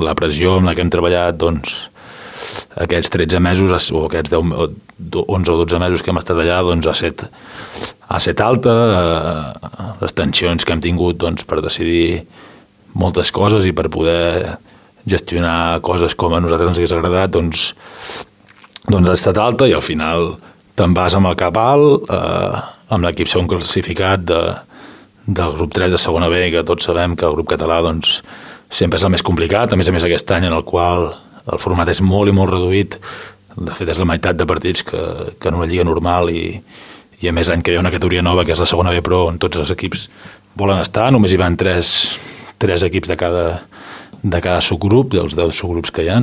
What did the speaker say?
la pressió amb la que hem treballat, doncs, aquests 13 mesos o aquests 11 o 12 mesos que hem estat allà, doncs, ha estat alta, les tensions que hem tingut, doncs, per decidir moltes coses i per poder gestionar coses com a nosaltres ens hagués agradat, doncs ha estat alta, i al final te'n vas amb el cap alt, amb l'equip segon classificat del grup 3 de segona B, que tots sabem que el grup català, doncs, sempre és el més complicat, a més aquest any en el qual el format és molt i molt reduït, de fet és la meitat de partits que en una lliga normal, i a més l'any que hi ha una categoria nova que és la segona B Pro, on tots els equips volen estar, només hi van tres equips de cada subgrup, dels 10 subgrups que hi ha,